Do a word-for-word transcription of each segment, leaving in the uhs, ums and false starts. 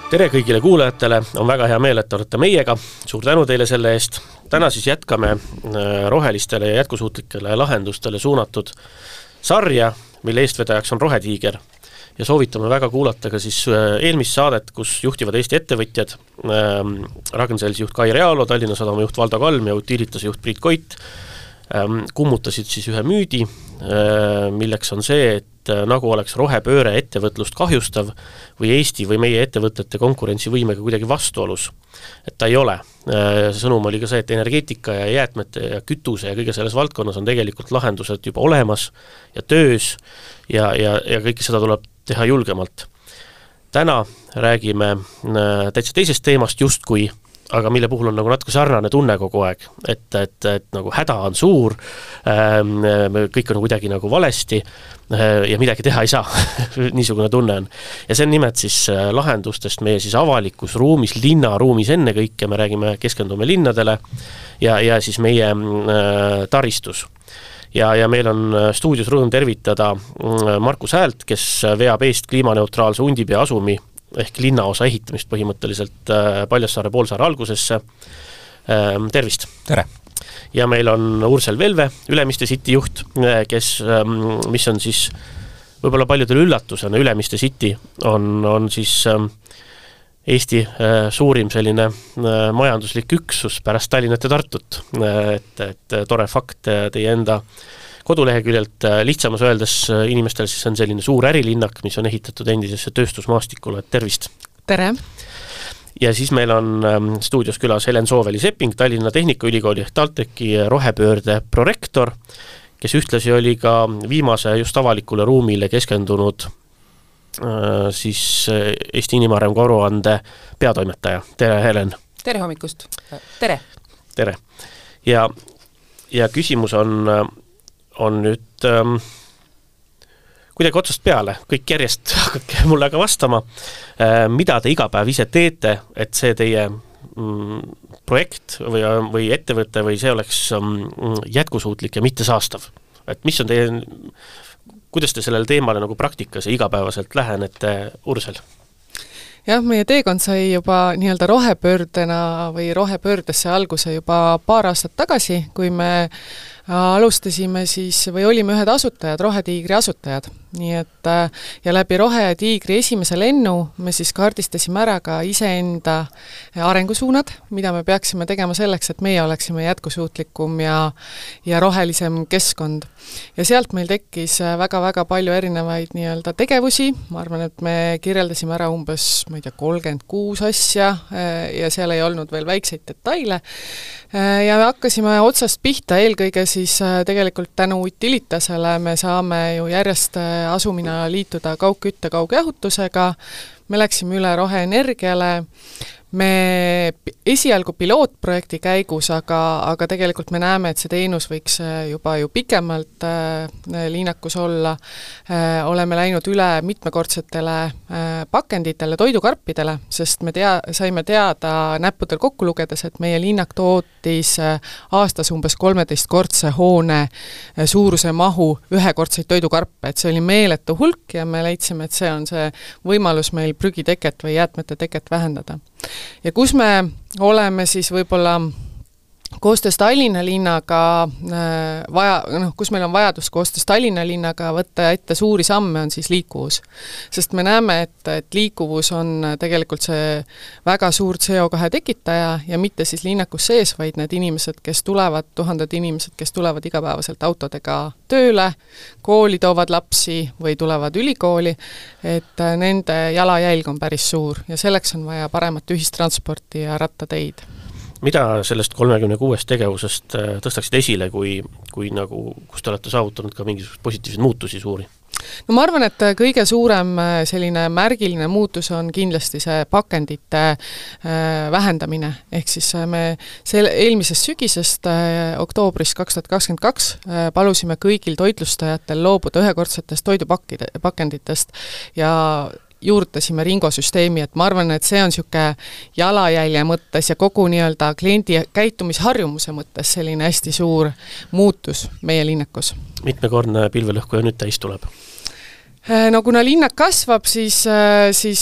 Tere kõigile kuulajatele, on väga hea meel, et olete meiega, suur tänu teile selle eest. Täna siis jätkame rohelistele ja jätkusuutlikele lahendustele suunatud sarja, mille eestvedajaks on Rohetiiger. Ja soovitame väga kuulata ka siis eelmist saadet, kus juhtivad Eesti ettevõtjad, Ragn-Sellsi juht Kai Realo, Tallinna Sadama juht Valdo Kalm ja Utilitase juht Priit Koit kummutasid siis ühe müüdi, milleks on see, et nagu oleks rohepööre ettevõtlust kahjustav või Eesti või meie ettevõtete konkurentsivõimega kuidagi vastuolus. Et ta ei ole. Sõnum oli ka see, et energeetika ja jäätmete ja kütuse ja kõige selles valdkonnas on tegelikult lahendused juba olemas ja töös ja, ja, ja kõike seda tuleb teha julgemalt. Täna räägime täitsa teisest teemast justkui, aga mille puhul on nagu natuke sarnane tunne kogu aeg, et, et, et nagu häda on suur, kõik on kuidagi nagu valesti ja midagi teha ei saa, niisugune tunne on. Ja see on nimelt siis lahendustest meie siis avalikus ruumis, linnaruumis enne kõike, me räägime, keskendume linnadele ja, ja siis meie taristus. Ja, ja meil on stuudios rõõm tervitada Markus Häält, kes veab eest kliimaneutraalse Undipea asumi ehk linnaosa ehitamist põhimõtteliselt Paljassaare poolsaare algusesse. Tervist! Tere! Ja meil on Ursel Velve, Ülemiste City juht, kes, mis on siis võib-olla paljudel üllatusena, Ülemiste City on, on siis Eesti suurim selline majanduslik üksus pärast Tallinnat ja Tartut. Et, et tore fakt teie enda koduleheküljelt lihtsamas öeldes inimestel siis on selline suur ärilinnak, mis on ehitatud endisesse tööstusmaastikule. Tervist! Tere! Ja siis meil on stuudios külas Helen Sooveli-Sepping, Tallinna Tehnikaülikooli TalTechi rohepöörde prorektor, kes ühtlasi oli ka viimase just avalikule ruumile keskendunud siis Eesti inimarengu aruande peatoimetaja. Tere, Helen! Tere hommikust! Tere! Tere! Ja, ja küsimus on on nüüd ähm, kuidagi otsast peale, kõik järjest hakake mulle aga vastama, äh, mida te iga päev ise teete, et see teie mm, projekt või, või ettevõte või see oleks mm, jätkusuutlik ja mitte saastav. Et mis on teie, kuidas te sellele teemale nagu praktikas ja igapäevaselt lähenete, Ursel? Jah, meie teekond sai juba nii-öelda rohepöördena või rohepöördesse alguse juba paar aastat tagasi, kui me alustasime siis või olime ühed asutajad, Rohetiigri asutajad. Nii et ja läbi Rohetiigri esimese lennu me siis kaardistasime ära ka iseenda arengusuunad, mida me peaksime tegema selleks, et meie oleksime jätkusuutlikum ja, ja rohelisem keskkond. Ja sealt meil tekkis väga-väga palju erinevaid nii-öelda tegevusi. Ma arvan, et me kirjeldasime ära umbes, ma ei tea, kolmkümmend kuus asja ja seal ei olnud veel väikseid detaile. Ja me hakkasime otsast pihta eelkõige siis tegelikult tänu Utilitasele me saame ju järjest asumina liituda kaugkütte kaugjahutusega, me läksime üle roheenergiale, me esialgu pilootprojekti käigus, aga, aga tegelikult me näeme, et see teenus võiks juba ju pikemalt äh, liinakus olla. Äh, oleme läinud üle mitmekordsetele äh, pakenditele, toidukarpidele, sest me tea, saime teada näppudel kokku lugedes, et meie liinak tootis äh, aastas umbes kolmeteistkordse hoone äh, suuruse mahu ühekordseid toidukarpe, et see oli meeletu hulk ja me leidsime, et see on see võimalus meil prügiteket või jäätmete teket vähendada. Ja kus me oleme siis võib-olla koostöös Tallinna linnaga vaja, noh, kus meil on vajadus koostöös Tallinna linnaga võtta ette suuri samme, on siis liikuvus. Sest me näeme, et, et liikuvus on tegelikult see väga suur C O kahe tekitaja ja mitte siis linnakus sees, vaid need inimesed, kes tulevad, tuhanded inimesed, kes tulevad igapäevaselt autodega tööle, kooli toovad lapsi või tulevad ülikooli, et nende jalajälg on päris suur ja selleks on vaja paremat ühistransporti ja rattateid. Mida sellest kolmekümne kuuest tegevusest tõstaksid esile, kui, kui nagu, kus te olete saavutanud ka mingisugust positiivseid muutusi suuri? No ma arvan, et kõige suurem selline märgiline muutus on kindlasti see pakendite vähendamine. Ehk siis me selle eelmisest sügisest oktoobris kaks tuhat kakskümmend kaks palusime kõigil toitlustajatel loobuda ühekordsetest toidupakenditest ja juurtasime ringosüsteemi, et ma arvan, et see on siuke jalajälje mõttes ja kogu nii-öelda kliendi käitumisharjumuse mõttes selline hästi suur muutus meie linnakus. Mitmekordne pilvelõhkuja nüüd täis tuleb? No kuna linnak kasvab, siis, siis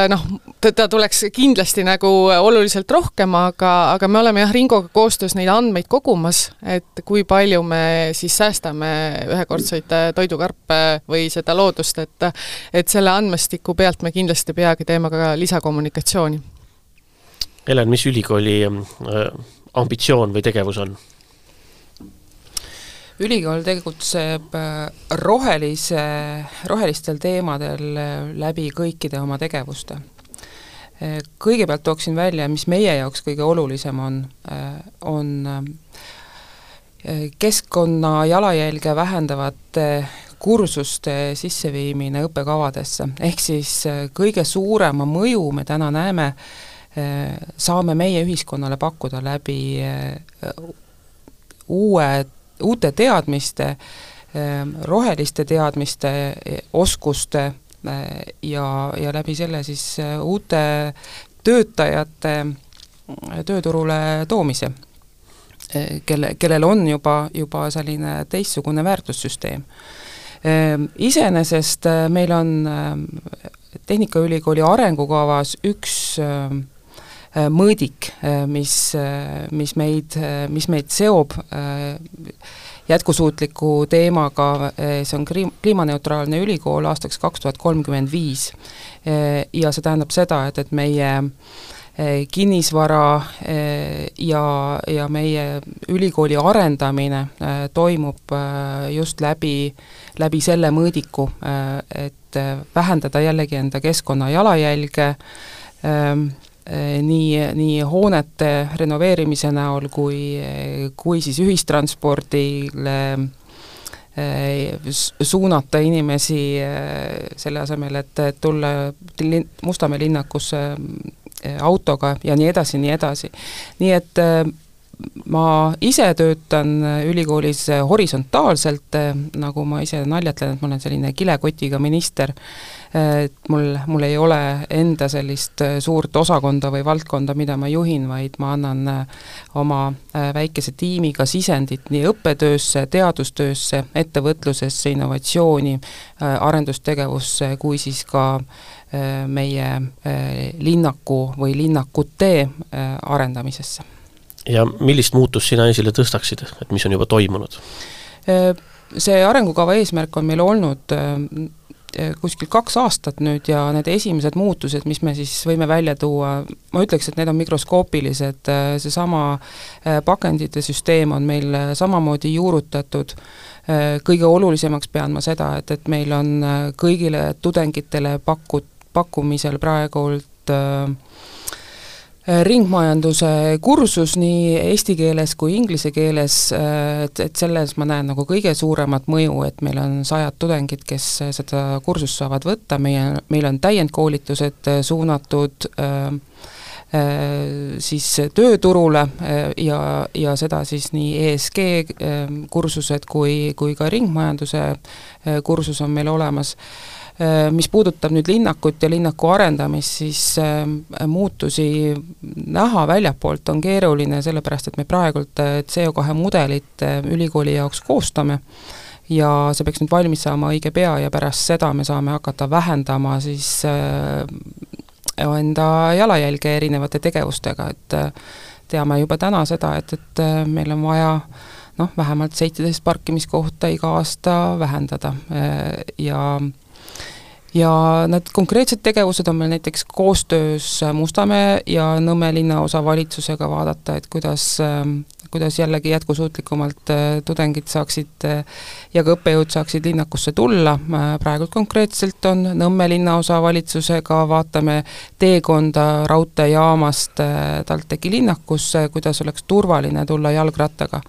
noh, teda tuleks kindlasti nagu oluliselt rohkem, aga, aga me oleme jah Ringoga koostöös neid andmeid kogumas, et kui palju me siis säästame ühekordseid toidukarpe või seda loodust, et, et selle andmestiku pealt me kindlasti peagi teeme ka lisakommunikatsiooni. Helen, mis ülikooli ambitsioon või tegevus on? Ülikool tegutseb rohelise, rohelistel teemadel läbi kõikide oma tegevuste. Kõigepealt tooksin välja, mis meie jaoks kõige olulisem on, on keskkonna jalajälge vähendavate kursuste sisseviimine õppekavadesse. Ehk siis kõige suurema mõju me täna näeme, saame meie ühiskonnale pakkuda läbi uue uute teadmiste, roheliste teadmiste, oskuste ja, ja läbi selle siis uute töötajate tööturule toomise, kelle, kellel on juba, juba selline teistsugune väärtussüsteem. Iseenesest meil on Tehnikaülikooli arengukavas üks mõõdik, mis, mis, meid, mis meid seob jätkusuutliku teemaga, see on kliimaneutraalne ülikool aastaks kaks tuhat kolmkümmend viis. Ja see tähendab seda, et, et meie kinnisvara ja, ja meie ülikooli arendamine toimub just läbi, läbi selle mõõdiku, et vähendada jällegi enda keskkonna jalajälge, nii, nii hoonete renoveerimise näol kui, kui siis ühistranspordile suunata inimesi selle asemel, et tulla Mustamäe linnakusse autoga ja nii edasi, nii edasi. Nii et ma ise töötan ülikoolis horisontaalselt, nagu ma ise naljatlen, et ma olen selline kilekotiga minister, et mul, mul ei ole enda sellist suurt osakonda või valdkonda, mida ma juhin, vaid ma annan oma väikese tiimiga sisendit nii õppetöösse, teadustöösse, ettevõtlusesse, innovatsiooni, arendustegevusse, kui siis ka meie linnaku või linnakute arendamisesse. Ja millist muutust sina esile tõstaksid, et mis on juba toimunud? See arengukava eesmärk on meil olnud kuskil kaks aastat nüüd ja need esimesed muutused, mis me siis võime välja tuua, ma ütleks, et need on mikroskoopilised, seesama pakendite süsteem on meil samamoodi juurutatud, kõige olulisemaks pean ma seda, et, et meil on kõigile tudengitele pakut, pakkumisel praegult ringmajanduse kursus nii eesti keeles kui inglise keeles, et, et selles ma näen nagu kõige suuremat mõju, et meil on sajad tudengid, kes seda kursust saavad võtta, meie, meil on täiendkoolitused suunatud äh, siis tööturule ja, ja seda siis nii E S G kursused kui, kui ka ringmajanduse kursus on meil olemas. Mis puudutab nüüd linnakut ja linnaku arendamist, siis muutusi näha väljapoolt on keeruline, sellepärast et me praegult C O kahe mudelit ülikooli jaoks koostame ja see peaks nüüd valmis saama õige pea ja pärast seda me saame hakata vähendama siis enda jalajälge erinevate tegevustega, et teame juba täna seda, et, et meil on vaja noh, vähemalt seitseteist parkimiskohta iga aasta vähendada ja ja need konkreetsed tegevused on meil näiteks koostöös Mustamäe ja Nõmme linnaosa valitsusega vaadata, et kuidas, kuidas jällegi jätkusuutlikumalt tudengid saaksid ja ka õppejõud saaksid linnakusse tulla. Praegult konkreetselt on Nõmme linnaosa valitsusega, vaatame teekonda raudteejaamast TalTechi linnakusse, kuidas oleks turvaline tulla jalgrattaga.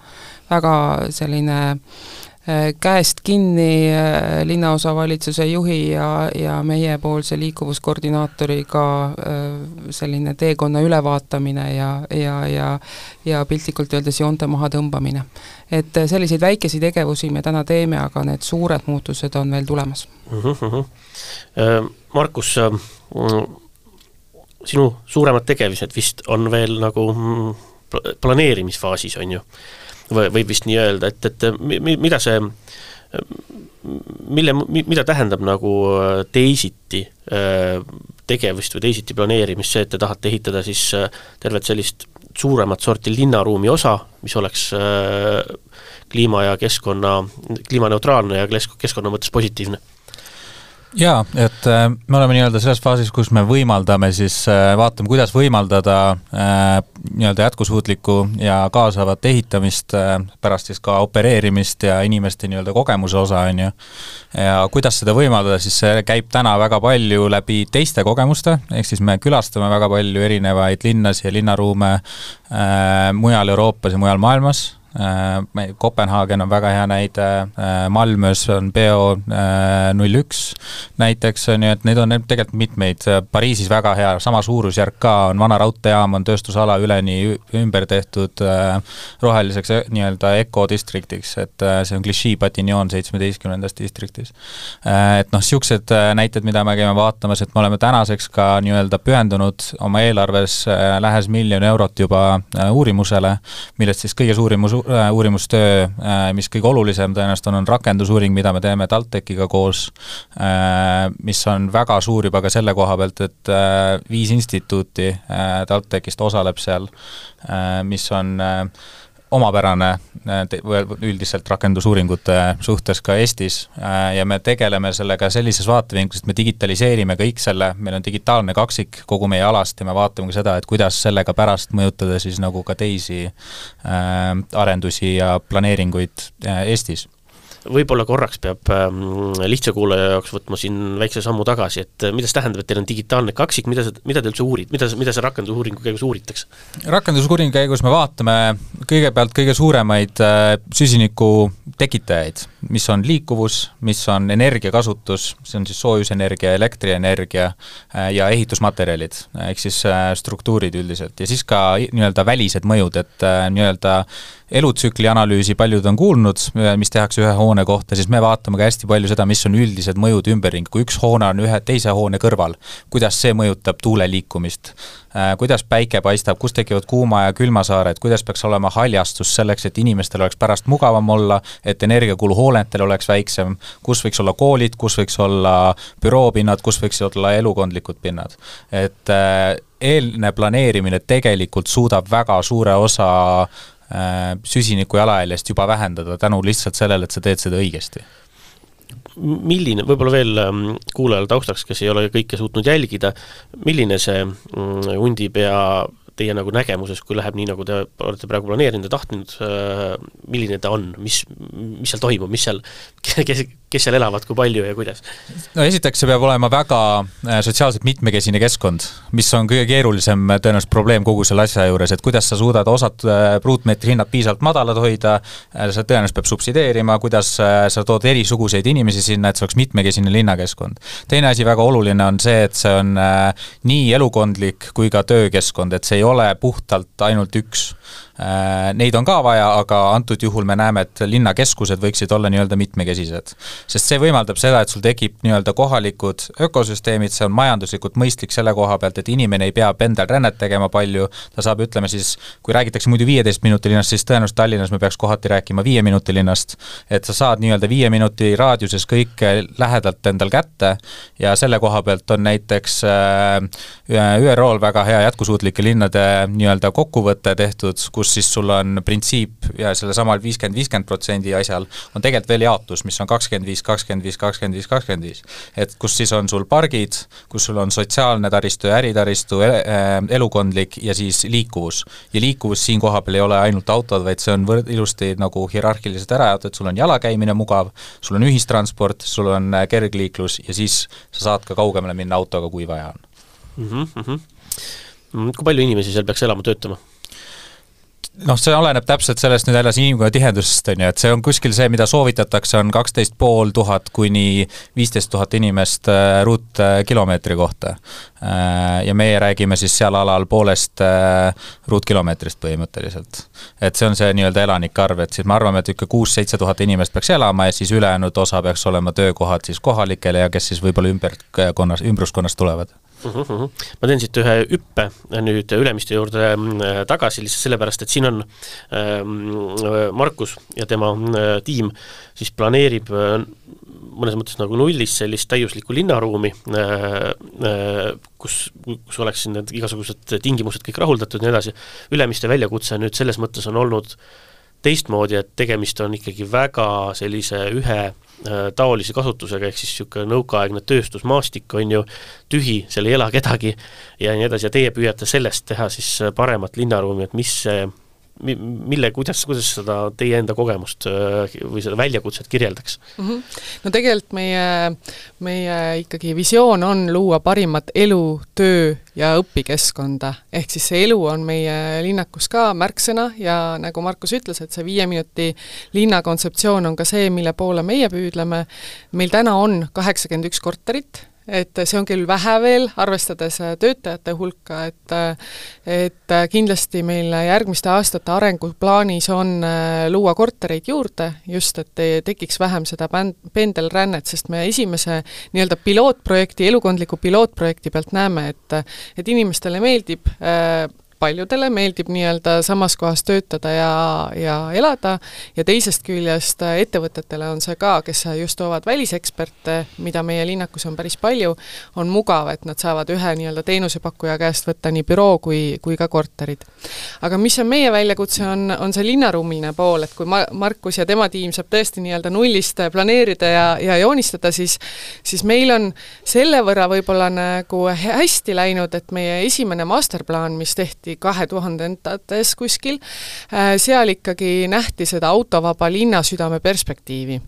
Väga selline käest kinni linnaosa valitsuse juhi ja, ja meiepoolse liikuvuskoordinaatoriga selline teekonna ülevaatamine ja, ja, ja, ja piltlikult öeldes joonte maha tõmbamine. Et selliseid väikesi tegevusi me täna teeme, aga need suured muutused on veel tulemas. Uh-huh. Markus, sinu suuremad tegevused vist on veel nagu planeerimisfaasis, on ju? Või, võib vist nii öelda, et, et mida see, mille, mida tähendab nagu teisiti tegevust või teisiti planeerimist, see, et te tahate ehitada siis tervet sellist suuremat sorti linnaruumi osa, mis oleks kliima ja keskkonna, kliimaneutraalne ja keskkonna mõttes positiivne? Jaa, et me oleme nii-öelda selles faasis, kus me võimaldame siis, vaatame, kuidas võimaldada nii-öelda jätkusuutlikku ja kaasavat ehitamist, pärast siis ka opereerimist ja inimeste nii-öelda kogemuse osa on ju. Ja kuidas seda võimaldada, siis see käib täna väga palju läbi teiste kogemuste, ehk siis me külastame väga palju erinevaid linnas ja linnaruume mujal Euroopas ja mujal maailmas. Kopenhaagen on väga hea näide, Malmös on Beo null üks näiteks, nii et neid on tegelikult mitmeid, Pariisis väga hea, sama suurusjärk ka on vana raudteejaam, on tööstusala üleni ümber tehtud roheliseks nii-öelda ökodistriktiks, et see on Clichy-Patignon seitsmeteistkümnendast distriktis. Et noh, siuksed näited, mida me käime vaatamas, et me oleme tänaseks ka nii-öelda pühendunud oma eelarves lähes miljon eurot juba uurimusele, millest siis kõige suurimus uurimustöö, mis kõige olulisem tõenäoliselt on, on rakendusuuring, mida me teeme TalTechiga koos, mis on väga suur juba ka selle koha pealt, et viis instituuti TalTechist osaleb seal, mis on omapärane üldiselt rakendusuuringute suhtes ka Eestis ja me tegeleme sellega sellises vaatevinklis, et me digitaliseerime kõik selle, meil on digitaalne kaksik kogu meie alast ja me vaatame ka seda, et kuidas sellega pärast mõjutada siis nagu ka teisi arendusi ja planeeringuid Eestis. Võib-olla korraks peab lihtsa kuulaja jaoks võtma siin väikse sammu tagasi, et mida see tähendab, et teil on digitaalne kaksik, mida, mida te üldse uurid, mida, mida see rakendusuuringu käigus uuritakse? Rakendusuuringu käigus me vaatame kõigepealt kõige suuremaid süsiniku tekitajaid, mis on liikuvus, mis on energiakasutus, see on siis soojusenergia, elektrienergia ja ehitusmaterjalid, ehk siis struktuurid üldiselt ja siis ka nii-öelda välised mõjud, et nii-öelda elutsükli analüüsi paljud on kuulnud, mis tehakse ühe hoone kohta, siis me vaatame ka hästi palju seda, mis on üldised mõjud ümberring, kui üks hoone on ühe teise hoone kõrval, kuidas see mõjutab tuule liikumist, kuidas päike paistab, kus tekivad kuuma ja külmasaared, kuidas peaks olema haljastus selleks, et inimestel oleks pärast mugavam olla, et energiakulu hooletel oleks väiksem, kus võiks olla koolid, kus võiks olla büroopinnad, kus võiks olla elukondlikud pinnad. Et eelne planeerimine tegelikult suudab väga suure osa süsiniku jalajäljest juba vähendada tänu lihtsalt sellele, et sa teed seda õigesti. Milline, võib-olla veel kuulajal taustaks, kes ei ole kõike suutnud jälgida, milline see Undipea teie nagu nägemuses, kui läheb nii, nagu te olete praegu planeerinud ja tahtnud, milline ta on, mis, mis seal toimub, mis seal, kes, kes seal elavad, kui palju ja kuidas? No esiteks see peab olema väga sotsiaalselt mitmekesine keskkond, mis on kõige keerulisem tõenäoliselt probleem kogu selle asja juures, et kuidas sa suudad osad ruutmeetri hinnad piisavalt madalad hoida, sa tõenäoliselt peab subsideerima, kuidas sa tood erisuguseid inimesi sinna, et see oleks mitmekesine linnakeskkond. Teine asi väga oluline on see, et see on nii elukondlik kui ka töökeskkond, et see ei ole puhtalt ainult üks. Neid on ka vaja, aga antud juhul me näeme, et linnakeskused võiksid olla nii-öelda mitmekesised. Sest see võimaldab seda, et sul tekib nii-öelda kohalikud ökosüsteemid, see on majanduslikult mõistlik selle koha pealt, et inimene ei pea pendel rännet tegema palju, ta saab, ütleme siis, kui räägitakse muidu viieteist minuti linnast, siis tõenäoliselt Tallinnas me peaks kohati rääkima viie minuti linnast, et sa saad nii-öelda viie minuti raadiuses kõik lähedalt endal kätte ja selle koha pealt on näiteks Ü R O-l väga hea jätkusuutlike linnade nii-öelda kokkuvõte tehtud, kus siis sul on printsiip ja selle samal viiskümmend viiskümmend protsendi asjal on tegelikult veel jaotus, mis on kakskümmend viis, kakskümmend viis, kakskümmend viis, kakskümmend viis. Et kus siis on sul pargid, kus sul on sotsiaalne taristu ja äritaristu, elukondlik ja siis liikuvus. Ja liikuvus siin koha peal ei ole ainult autod, vaid see on võrd, ilusti nagu hierarhiliselt ära jaotud, sul on jalakäimine mugav, sul on ühistransport, sul on kergliiklus ja siis sa saad ka kaugemale minna autoga, kui vaja on. Mm-hmm. Kui palju inimesi seal peaks elama töötama? Noh, see oleneb täpselt sellest nüüd jälle inimkonna tihedusest, on ju, et see on kuskil see, mida soovitatakse, on kaksteist pool tuhat kuni viisteist tuhat inimest ruutkilomeetri kohta. Ja meie räägime siis seal alal poolest ruutkilomeetrist põhimõtteliselt. Et see on see nii-öelda elanikarv, et siis me arvame, et ikka kuus-seitse tuhat inimest peaks elama ja siis ülejäänud osa peaks olema töökohad siis kohalikele ja kes siis võib-olla ümberkonnas, ümbruskonnast tulevad. Uh-huh, uh-huh. Ma teen siit ühe üppe nüüd Ülemiste juurde tagasi lihtsalt sellepärast, et siin on äh, Markus ja tema äh, tiim siis planeerib äh, mõnes mõttes nagu nullis sellist täiuslikku linnaruumi, kus, kus oleks siin need igasugused tingimused kõik rahuldatud ja nii edasi. Ülemiste väljakutse nüüd selles mõttes on olnud teistmoodi, et tegemist on ikkagi väga sellise ühe taolise kasutusega, ehk siis niisugune nõukaaegne tööstusmaastik on ju tühi, seal ei ela kedagi ja nii edasi, ja teie püüate sellest teha siis paremat linnaruumi, et mis see, mille, kuidas, kuidas seda teie enda kogemust või seda väljakutset kirjeldaks? Mm-hmm. No tegelikult meie, meie ikkagi visioon on luua parimat elu, töö ja õpikeskkonda, ehk siis see elu on meie linnakus ka märksõna ja nagu Markus ütles, et see viie minuti linna kontseptsioon on ka see, mille poole meie püüdleme. Meil täna on kaheksakümmend üks korterit, et see on küll vähe veel, arvestades töötajate hulka, et, et kindlasti meil järgmiste aastate arenguplaanis on luua kortereid juurde, just et tekiks vähem seda pendelrännet, sest me esimese nii-öelda pilootprojekti, elukondliku pilootprojekti pealt näeme, et, et inimestele meeldib paljudele meeldib nii-öelda samas kohas töötada ja, ja elada ja teisest küljest ettevõtetele on see ka, kes just toovad väliseksperte, mida meie linnakus on päris palju, on mugav, et nad saavad ühe nii-öelda teenusepakkuja käest võtta nii büroo kui, kui ka korterid. Aga mis on meie väljakutse, on, on see linnaruumiline pool, et kui Markus ja tema tiim saab tõesti nii-öelda nullist planeerida ja, ja joonistada, siis, siis meil on selle võrra võib-olla nagu hästi läinud, et meie esimene masterplaan, mis tehti kahe tuhandendates kuskil, seal ikkagi nähti seda autovaba linnasüdame perspektiivi.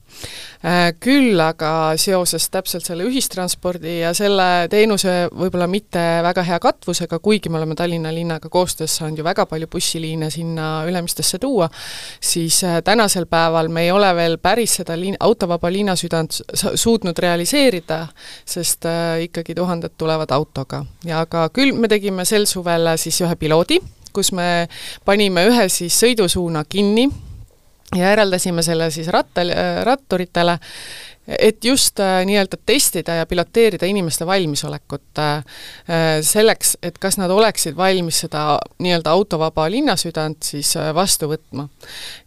Küll aga seoses täpselt selle ühistranspordi ja selle teenuse võib-olla mitte väga hea katvusega, kuigi me oleme Tallinna linnaga koostöös saanud ju väga palju bussiliine sinna Ülemistesse tuua, siis tänasel päeval me ei ole veel päris seda liin, autovaba linnasüdant suutnud realiseerida, sest ikkagi tuhanded tulevad autoga. Ja aga küll me tegime sel suvel siis ühe piloodi, kus me panime ühe siis sõidusuuna kinni ja eraldasime selle siis rattal, ratturitele, et just äh, nii-öelda testida ja piloteerida inimeste valmisolekut äh, selleks, et kas nad oleksid valmis seda nii-öelda autovaba linnasüdant siis äh, vastu võtma.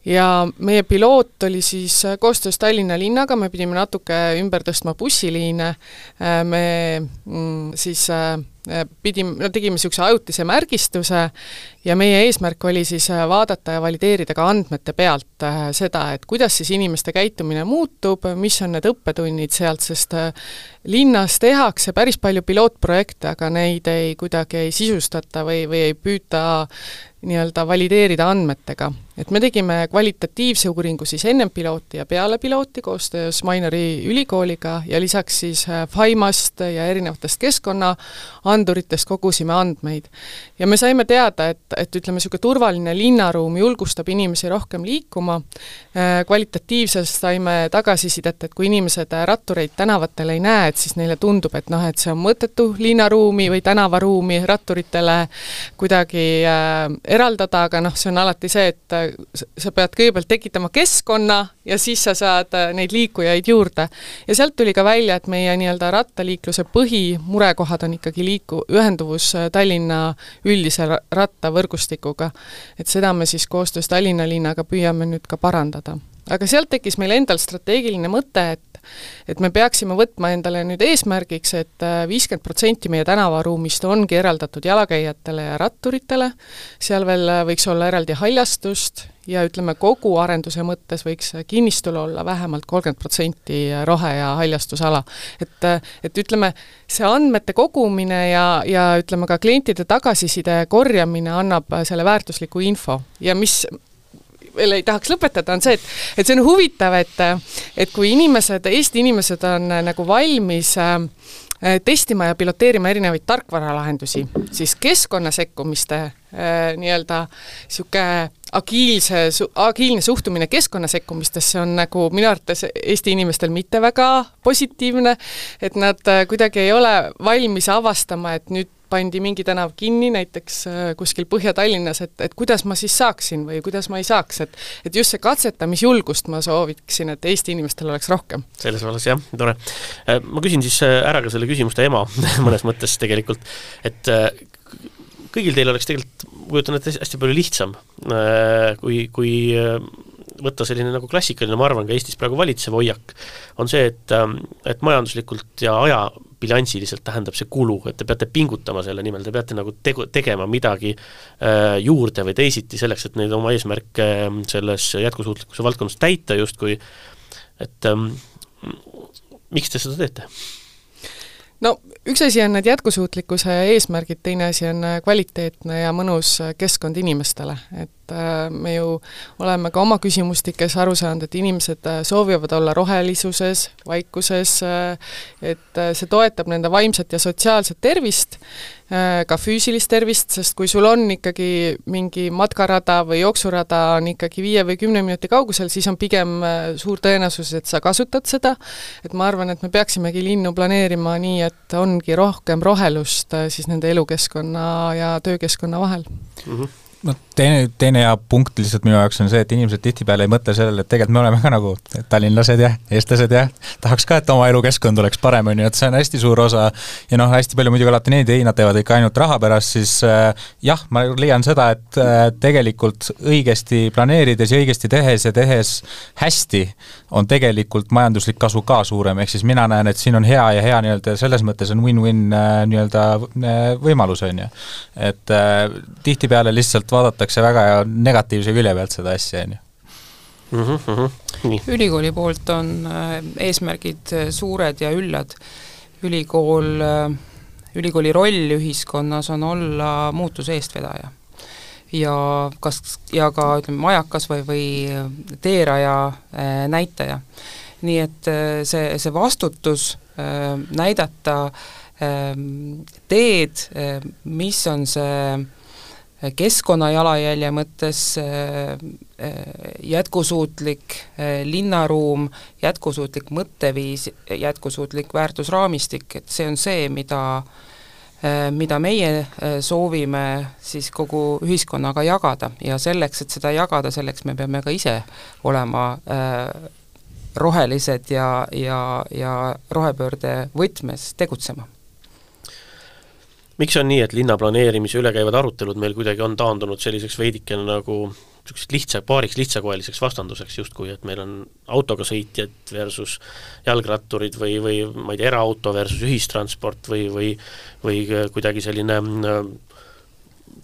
Ja meie piloot oli siis äh, koostöös Tallinna linnaga, me pidime natuke ümber tõstma bussiliine, äh, me mm, siis äh, pidime, no tegime niisuguse ajutise märgistuse ja meie eesmärk oli siis vaadata ja valideerida ka andmete pealt seda, et kuidas siis inimeste käitumine muutub, mis on need õppetunnid sealt, sest linnas tehakse päris palju pilootprojekte, aga neid ei kuidagi ei sisustata või, või ei püüta nii-öelda valideerida andmetega. Et me tegime kvalitatiivse uuringu siis ennem pilooti ja peale pilooti koostöös Mainori ülikooliga ja lisaks siis Faimast ja erinevatest keskkonnaanduritest kogusime andmeid. Ja me saime teada, et, et ütleme, niisugune turvaline linnaruum julgustab inimesi rohkem liikuma. Kvalitatiivsest saime tagasisidet, et kui inimesed rattureid tänavatel ei näe, et siis neile tundub, et noh, et see on mõttetu linnaruumi või tänavaruumi ratturitele kuidagi äh, eraldada, aga noh, see on alati see, et sa pead kõigepealt tekitama keskkonna ja siis sa saad neid liikujaid juurde. Ja sealt tuli ka välja, et meie nii-öelda rattaliikluse põhimurekohad on ikkagi liiku, ühenduvus Tallinna üldise rattavõrgustikuga. Et seda me siis koostöös Tallinna linnaga püüame nüüd ka parandada. Aga sealt tekkis meil endal strateegiline mõte, et et me peaksime võtma endale nüüd eesmärgiks, et viiskümmend protsenti meie tänavaruumist ongi eraldatud jalakäijatele ja ratturitele, seal veel võiks olla eraldi haljastust ja ütleme, kogu arenduse mõttes võiks kinnistul olla vähemalt kolmkümmend protsenti rohe- ja haljastusala. Et, et ütleme, see andmete kogumine ja, ja ütleme ka klientide tagasiside korjamine annab selle väärtusliku info ja mis veel ei tahaks lõpetada, on see, et, et see on huvitav, et, et kui inimesed, Eesti inimesed on nagu valmis äh, testima ja piloteerima erinevaid tarkvaralahendusi, siis keskkonnasekkumiste äh, nii-öelda siuke agiilse, agiilne suhtumine keskkonnasekkumistesse on nagu minu arvates Eesti inimestel mitte väga positiivne, et nad kuidagi ei ole valmis avastama, et nüüd pandi mingi tänav kinni, näiteks kuskil Põhja-Tallinnas, et, et kuidas ma siis saaksin või kuidas ma ei saaks, et, et just see katsetamisjulgust ma sooviksin, et Eesti inimestel oleks rohkem. Selles vallas, jah, tore. Ma küsin siis ära ka selle küsimuste ema mõnes mõttes tegelikult, et kõigil teil oleks tegelikult, kujutan, et hästi palju lihtsam, kui, kui võtta selline nagu klassikaline, ma arvan, ka Eestis praegu valitsev hoiak, on see, et, et majanduslikult ja ajabilansiliselt tähendab see kulu, et te peate pingutama selle nimel, te peate nagu tegu, tegema midagi äh, juurde või teisiti selleks, et neid oma eesmärke selles jätkusuutlikkuse valdkonnas täita justkui, et ähm, miks te seda teete? No üks asi on need jätkusuutlikkuse eesmärgid, teine asi on kvaliteetne ja mõnus keskkond inimestele, et me ju oleme ka oma küsimustikes aru saanud, et inimesed soovivad olla rohelisuses, vaikuses, et see toetab nende vaimset ja sotsiaalset tervist, ka füüsilist tervist, sest kui sul on ikkagi mingi matkarada või jooksurada on ikkagi viie või kümne minuti kaugusel, siis on pigem suur tõenäosus, et sa kasutad seda, et ma arvan, et me peaksimegi linnu planeerima nii, et ongi rohkem rohelust siis nende elukeskkonna ja töökeskkonna vahel. Mm-hmm. No teine, teine ja punkt lihtsalt minu jaoks on see, et inimesed tihtipeale ei mõtle sellele, et tegelikult me oleme ka nagu tallinlased ja eestlased ja tahaks ka, et oma elukeskkond oleks parem, on ju, et see on hästi suur osa ja noh, hästi palju muidugi alati neid ei, nad teevad ikka ainult raha pärast, siis äh, jah, ma leian seda, et äh, tegelikult õigesti planeerides ja õigesti tehes ja tehes hästi on tegelikult majanduslik kasu ka suurem, ehk siis mina näen, et siin on hea ja hea nii-öelda selles mõttes on win-win äh, nii-öelda äh, võimalus, on ju. Et äh, tihtipeale lihtsalt vaadatakse väga negatiivse külje pealt seda asja, on ju. Mm-hmm, mm-hmm. Nii. Ülikooli poolt on eesmärgid suured ja üllad. Ülikool, ülikooli roll ühiskonnas on olla muutuse eestvedaja. Ja, kas, ja ka ütleme, majakas või, või teeraja näitaja. Nii et see, see vastutus näidata teed, mis on see keskkonna jalajälje mõttes jätkusuutlik linnaruum, jätkusuutlik mõtteviis, jätkusuutlik väärtusraamistik, et see on see, mida, mida meie soovime siis kogu ühiskonnaga jagada ja selleks, et seda jagada, selleks me peame ka ise olema rohelised ja, ja, ja rohepöörde võtmes tegutsema. Miks on nii, et linnaplaneerimise üle käivad arutelud meil kuidagi on taandunud selliseks veidikene nagu lihtsa, paariks lihtsakoeliseks vastanduseks justkui, et meil on autoga sõitjad versus jalgratturid või, või ma ei tea, eraauto versus ühistransport või, või, või kuidagi selline,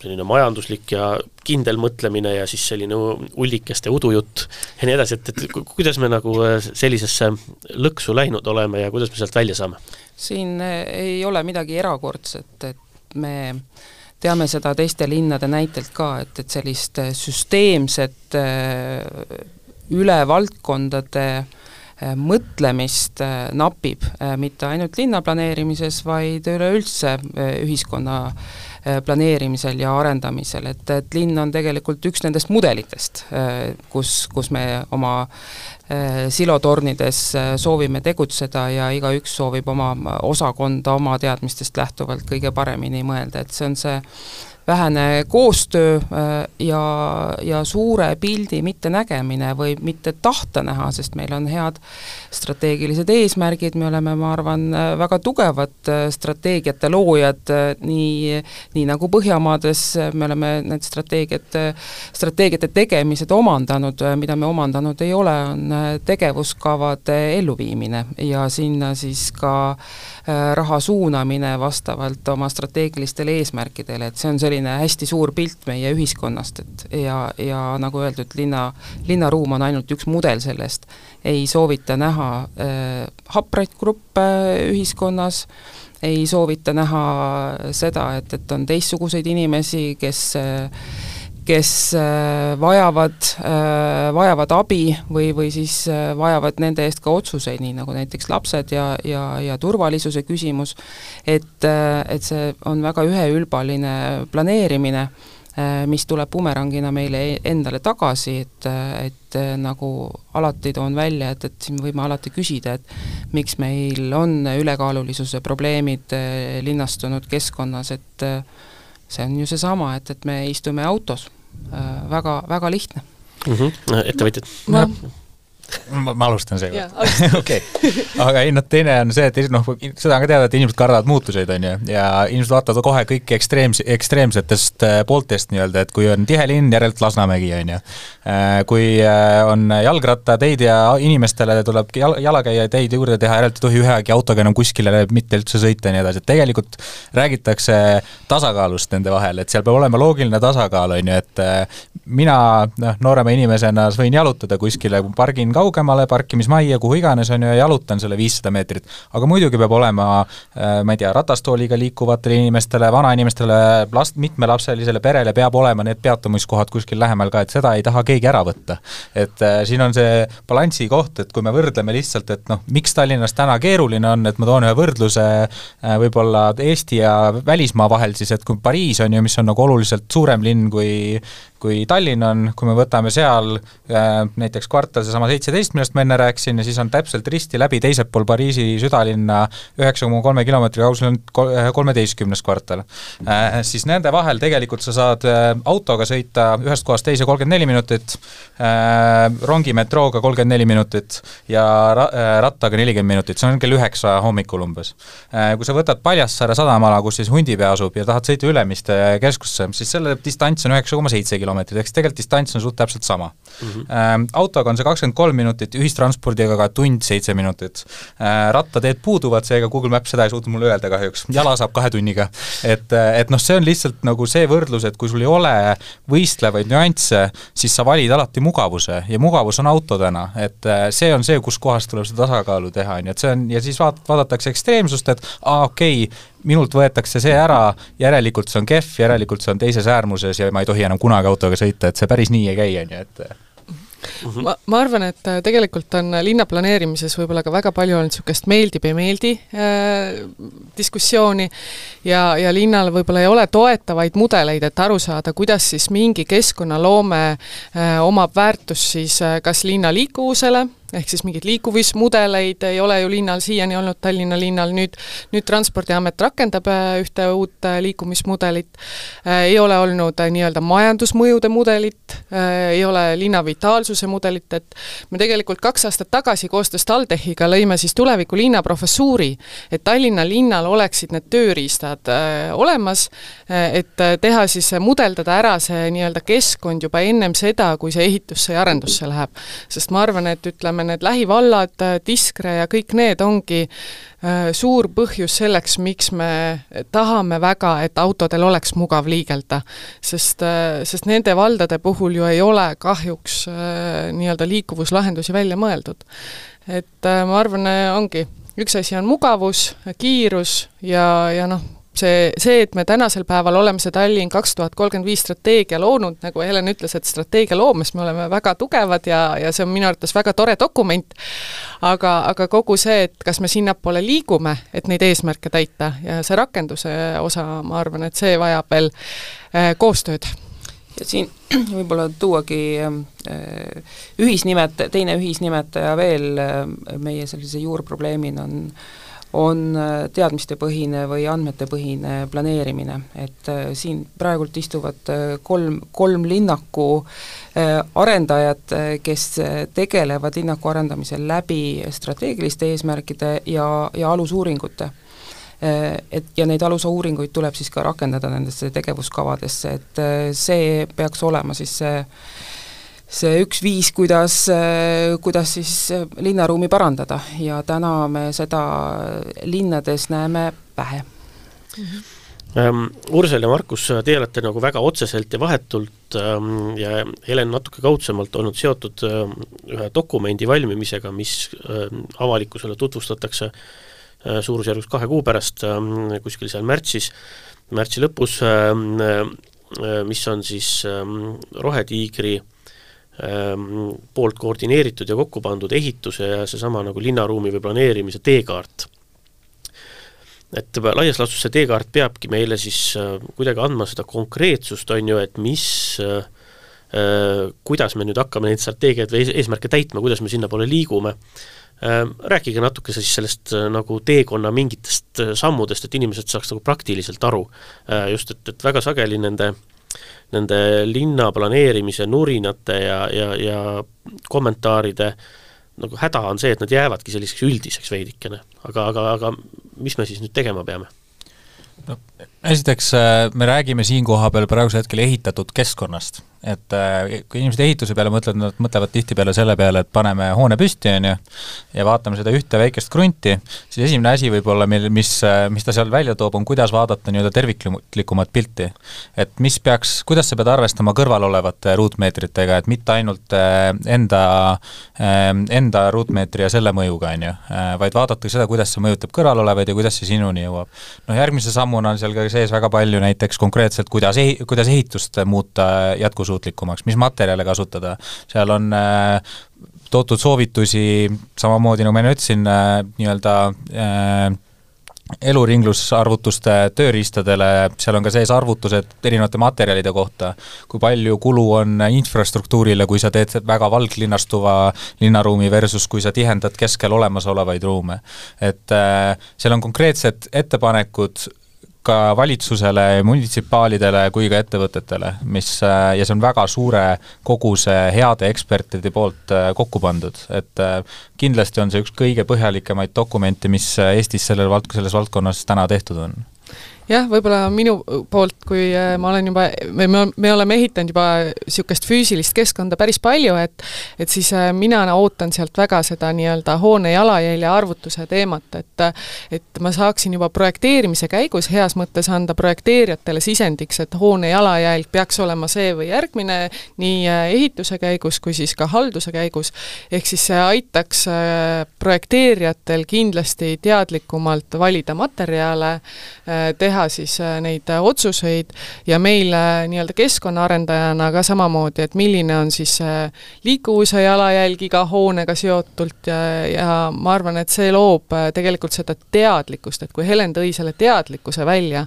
selline majanduslik ja kindel mõtlemine ja siis selline ullikeste udujutt ja nii edasi, et, et kuidas me nagu sellisesse lõksu läinud oleme ja kuidas me sealt välja saame? Siin ei ole midagi erakordset, et me teame seda teiste linnade näitelt ka, et, et sellist süsteemset üle valdkondade mõtlemist napib, mitte ainult linnaplaneerimises, vaid üleüldse ühiskonna planeerimisel ja arendamisel, et, et linn on tegelikult üks nendest mudelitest, kus, kus me oma silotornides soovime tegutseda ja igaüks soovib oma osakonda oma teadmistest lähtuvalt kõige paremini mõelda, et see on see vähene koostöö ja, ja suure pildi mitte nägemine või mitte tahta näha, sest meil on head strateegilised eesmärgid, me oleme, ma arvan, väga tugevad strateegiate loojad, nii, nii nagu Põhjamaades me oleme need strateegiad, strateegiate tegemised omandanud, mida me omandanud ei ole, on tegevuskavade elluviimine ja sinna siis ka raha suunamine vastavalt oma strateegilistele eesmärkidele, et see on selline hästi suur pilt meie ühiskonnast, et ja, ja nagu öeldud, linna, linnaruum on ainult üks mudel sellest, ei soovita näha äh, hapraid gruppe ühiskonnas, ei soovita näha seda, et, et on teistsuguseid inimesi, kes äh, kes vajavad, vajavad abi või, või siis vajavad nende eest ka otsuseid, nii nagu näiteks lapsed ja, ja, ja turvalisuse küsimus, et, et see on väga üheülbaline planeerimine, mis tuleb bumerangina meile endale tagasi, et, et nagu alati toon välja, et, et siin võime alati küsida, et miks meil on ülekaalulisuse probleemid linnastunud keskkonnas, et see on ju seesama, et, et me istume autos. Väga, väga lihtne. Mm-hmm. Ettevõtjad? Ma, ma, ma alustan seega. okei. Aga ei, no teine on see, et noh, seda on ka teada, et inimesed kardavad muutuseid, on ju, ja inimesed vaatavad kohe kõik ekstreems, ekstreemsetest pooltest nii-öelda, et kui on tihe linn, järelt Lasnamägi, on ju. Kui on jalgrattateid ja inimestele tuleb jal, jalakäija teid juurde teha, järelt ei tohi ühegi autoga enam kuskile mitte üldse sõita ja nii edasi, et tegelikult räägitakse tasakaalust nende vahel, et seal peab olema loogiline tasakaal, on ju, et mina noh, noorema inimesena võin jalutada kuskile, pargin kaugemale, parkimismajja, kuhu iganes on ju, ja jalutan selle viissada meetrit. Aga muidugi peab olema, ma ei tea, ratastooliga liikuvatele inimestele, vanainimestele, last, mitmelapselisele perele peab olema need peatumiskohad kuskil lähemal ka, et seda ei taha keegi ära võtta. Et äh, siin on see balansi koht, et kui me võrdleme lihtsalt, et noh, miks Tallinnas täna keeruline on, et ma toon ühe võrdluse äh, võib-olla Eesti ja välismaa vahel siis, et kui Pariis on ju, mis on nagu oluliselt suurem linn kui kui Tallinn on, kui me võtame seal äh, näiteks kvartal seesama seitseteist, millest ma enne rääkisin, ja siis on täpselt risti läbi teisel pool Pariisi südalinna üheksa koma kolme kilomeetri kaugusel on kolmeteistkümnes kvartal. Äh, siis nende vahel tegelikult sa saad äh, autoga sõita ühest kohast teise kolmkümmend neli minutit, äh, rongi metrooga kolmkümmend neli minutit ja ra äh, rattaga nelikümmend minutit, see on kell üheksa hommikul umbes. Äh, kui sa võtad Paljassaare sadamala, kus siis Hundipea asub ja tahad sõita Ülemiste keskusse, siis selle distants on üheksa koma seitse kilomeetrit, eks tegelikult distants on suht täpselt sama. Mm-hmm. Ähm, autoga on see kakskümmend kolm minutit, ühistranspordiga ka tund seitse minutit. Äh, rattateed puuduvad, seega Google Maps seda ei suutnud mulle öelda kahjuks. Jala saab kahe tunniga. Et, et noh, see on lihtsalt nagu see võrdlus, et kui sul ei ole võistlevaid nüansse, siis sa valid alati mugavuse ja mugavus on auto täna. Et see on see, kus kohast tuleb seda tasakaalu teha. Et see on, ja siis vaat, vaadatakse ekstreemsust, et aa, okei, okay, minult võetakse see ära, järelikult see on kehv, järelikult see on teises äärmuses ja ma ei tohi enam kunagi autoga sõita, et see päris nii ei käi, on ju, et ma, ma arvan, et tegelikult on linnaplaneerimises võib-olla ka väga palju olnud niisugust meeldib ja meeldi äh, diskussiooni ja, ja linnal võib-olla ei ole toetavaid mudeleid, et aru saada, kuidas siis mingi keskkonnaloome äh, omab väärtus siis äh, kas linna liikuvusele, ehk siis mingid liikuvismudeleid ei ole ju linnal siiani olnud, Tallinna linnal, nüüd, nüüd Transpordiamet rakendab ühte uut liikumismudelit, ei ole olnud nii-öelda majandusmõjude mudelit, ei ole linna vitaalsuse mudelit, et me tegelikult kaks aastat tagasi koostöös TalTechiga lõime siis tuleviku linna professuuri, et Tallinna linnal oleksid need tööriistad olemas, et teha siis mudeldada ära see nii-öelda keskkond juba ennem seda, kui see ehitusse ja arendusse läheb. Sest ma arvan, et ütleme, need lähivallad, Tiskre ja kõik need ongi äh, suur põhjus selleks, miks me tahame väga, et autodel oleks mugav liigelda. Sest, äh, sest nende valdade puhul ju ei ole kahjuks äh, nii-öelda liikuvuslahendusi välja mõeldud. Et äh, ma arvan, ongi, üks asi on mugavus, kiirus ja, ja noh, See, see, et me tänasel päeval oleme see Tallinn kaks tuhat kolmkümmend viis strateegia loonud, nagu Helen ütles, et strateegia loomes me oleme väga tugevad ja, ja see on minu arvates väga tore dokument, aga, aga kogu see, et kas me sinnapoole liigume, et neid eesmärke täita ja see rakenduse osa, ma arvan, et see vajab veel äh, koostööd. Ja siin võib-olla tuuagi äh, ühisnimet, teine ühisnimetaja veel äh, meie sellise juurprobleemina on on teadmistepõhine või andmetepõhine planeerimine, et äh, siin praegult istuvad äh, kolm, kolm linnaku äh, arendajat, kes tegelevad linnaku arendamisel läbi strateegiliste eesmärkide ja, ja alusuuringute. Et, ja neid alusuuringuid tuleb siis ka rakendada nendesse tegevuskavadesse, et see peaks olema siis see see üks viis, kuidas, kuidas siis linnaruumi parandada ja täna me seda linnades näeme vähe. Mm-hmm. Ursel ja Markus, te olete nagu väga otseselt ja vahetult ja Helen natuke kaudsemalt olnud seotud ühe dokumendi valmimisega, mis avalikkusele tutvustatakse suurusjärgus kahe kuu pärast, kuskil seal märtsis, märtsi lõpus, mis on siis Rohetiigri poolt koordineeritud ja kokku pandud ehituse ja seesama nagu linnaruumi või planeerimise teekaart. Et laias laastus see teekaart peabki meile siis kuidagi andma seda konkreetsust, on ju, et mis, kuidas me nüüd hakkame neid strateegiaid või eesmärke täitma, kuidas me sinna poole liigume. Rääkige natuke siis sellest nagu teekonna mingitest sammudest, et inimesed saaks nagu praktiliselt aru. Just, et, et väga sageli nende nende linna planeerimise nurinate ja, ja, ja kommentaaride nagu häda on see, et nad jäävadki selliseks üldiseks veidikene, aga, aga, aga mis me siis nüüd tegema peame? No, esiteks me räägime siin koha peal praegusel hetkel ehitatud keskkonnast, et kui inimesed ehituse peale mõtlevad, nad mõtlevad tihti peale selle peale, et paneme hoone püsti on ju, ja vaatame seda ühte väikest krunti, siis esimene asi võib-olla, mis, mis ta seal välja toob, on kuidas vaadata nii-öelda terviklikumat pilti. Et mis peaks, kuidas sa pead arvestama kõrval olevate ruutmeetritega, et mitte ainult enda, enda ruutmeetri ja selle mõjuga on ju, vaid vaadata seda, kuidas see mõjutab kõrval olevaid ja kuidas see sinuni jõuab. No järgmise sammuna on seal ka sees väga palju näiteks konkreetselt, kuidas, ehi, kuidas ehitust muuta jätkusuutlikumaks, mis materjale kasutada. Seal on äh, toodud soovitusi, samamoodi nagu ma ütlesin, äh, nii-öelda äh, eluringlusarvutuste tööriistadele, seal on ka sees arvutused erinevate materjalide kohta, kui palju kulu on infrastruktuurile, kui sa teed väga valglinnastuva linnaruumi versus kui sa tihendad keskel olemasolevaid ruume. Et äh, seal on konkreetsed ettepanekud ka valitsusele, munitsipaalidele kui ka ettevõtetele, mis, ja see on väga suure koguse heade ekspertide poolt kokku pandud, et kindlasti on see üks kõige põhjalikemaid dokumente, mis Eestis selles, vald- selles valdkonnas täna tehtud on. Jah, võib-olla minu poolt, kui ma olen juba, me, me oleme ehitanud juba niisugust füüsilist keskkonda päris palju, et, et siis mina ootan sealt väga seda nii-öelda hoone jalajälje arvutuse teemat, et, et ma saaksin juba projekteerimise käigus heas mõttes anda projekteerijatele sisendiks, et hoone jalajälg peaks olema see või järgmine nii ehituse käigus kui siis ka halduse käigus, ehk siis see aitaks projekteerijatel kindlasti teadlikumalt valida materjale, teha siis neid otsuseid ja meil nii-öelda keskkonnaarendajana ka samamoodi, et milline on siis liikuvuse jalajälg iga hoonega seotult ja, ja ma arvan, et see loob tegelikult seda teadlikkust, et kui Helen tõi selle teadlikkuse välja,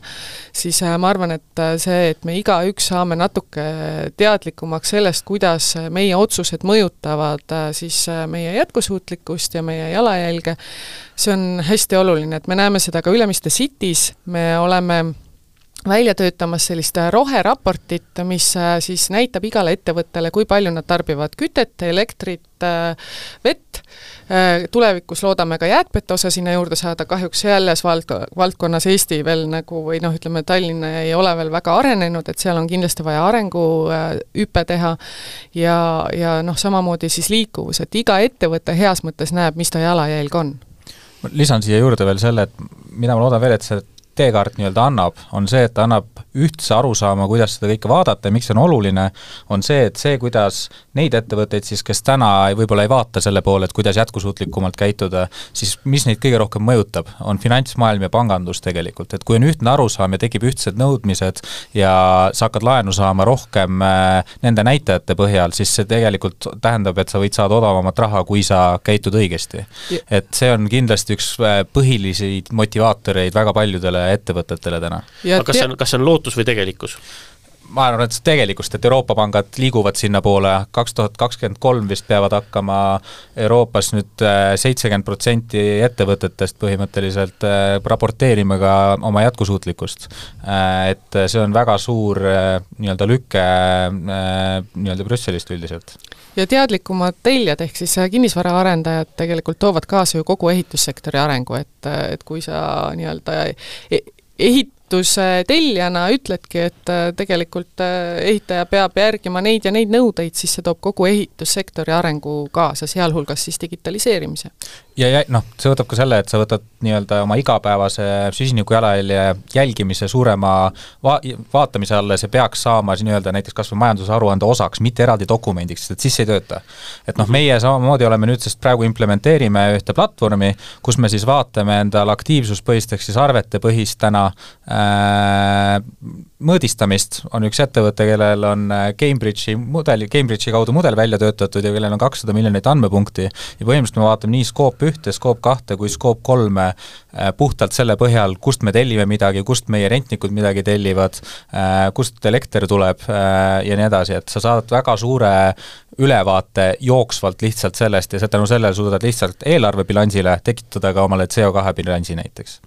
siis ma arvan, et see, et me igaüks saame natuke teadlikumaks sellest, kuidas meie otsused mõjutavad siis meie jätkusuutlikkust ja meie jalajälge, see on hästi oluline, et me näeme seda ka Ülemiste Cities, me oleme välja töötamas sellist roheraportit, mis siis näitab igale ettevõttele, kui palju nad tarbivad kütet, elektrit, vett. Tulevikus loodame ka jäätmete osa sinna juurde saada, kahjuks selles valdkonnas Eesti veel nagu, või noh, ütleme, Tallinna ei ole veel väga arenenud, et seal on kindlasti vaja arengu hüpe teha ja, ja noh, samamoodi siis liikuvus, et iga ettevõte heas mõttes näeb, mis ta jalajälg on. Lisan siia juurde veel selle, et mida ma loodan veel, et see teekaart nii-öelda annab, on see, et annab ühtse arusaama, kuidas seda kõike vaadata ja miks see on oluline, on see, et see, kuidas neid ettevõtteid siis, kes täna võib-olla ei vaata selle poole, et kuidas jätkusuutlikumalt käituda, siis mis neid kõige rohkem mõjutab, on finantsmaailm ja pangandus tegelikult, et kui on ühtne arusaam ja tekib ühtsed nõudmised ja sa hakkad laenu saama rohkem nende näitajate põhjal, siis see tegelikult tähendab, et sa võid saada odavamat raha, kui sa käitud õigesti. Et see on kindlasti üks põhilisi motivaatoreid väga paljudele ettevõtetele täna. Aga kas see on, kas see on lootus või tegelikkus? Ma arvan, et see tegelikust, et Euroopa pangad liiguvad sinna poole, kaks tuhat kakskümmend kolm vist peavad hakkama Euroopas nüüd seitsekümmend protsenti ettevõtetest põhimõtteliselt raporteerima ka oma jätkusuutlikkust. Et see on väga suur nii-öelda lükke nii-öelda Brüsselist üldiselt. Ja teadlikumad teljad, ehk siis kinnisvaraarendajad tegelikult toovad kaasa ju kogu ehitussektori arengu, et, et kui sa nii-öelda ehituse telljana ütledki, et tegelikult ehitaja peab järgima neid ja neid nõudeid, siis see toob kogu ehitussektori arengu kaasa, sealhulgas siis digitaliseerimise. Ja, ja noh, see võtab ka selle, et sa võtad nii-öelda oma igapäevase süsiniku jalajälje jälgimise suurema va vaatamise alla, see peaks saama nii-öelda näiteks kas või majandusaruande osaks, mitte eraldi dokumendiks, et siis ei tööta. Et noh, meie samamoodi oleme nüüd, sest praegu implementeerime ühte platvormi, kus me siis vaatame endal aktiivsuspõhisteks siis arvete põhist täna äh, mõõdistamist, on üks ettevõte, kellel on Cambridge'i mudeli, Cambridge'i kaudu mudel välja töötatud ja kellel on kakssada miljonit andmepunkti ja põhimõtteliselt me vaatame nii skoop ühte, skoop kahte kui skoop kolme puhtalt selle põhjal, kust me tellime midagi, kust meie rentnikud midagi tellivad, kust elekter tuleb ja nii edasi, et sa saad väga suure ülevaate jooksvalt lihtsalt sellest ja tänu sellele suudad lihtsalt eelarvebilansile tekitada ka omale C O kahe bilansi näiteks.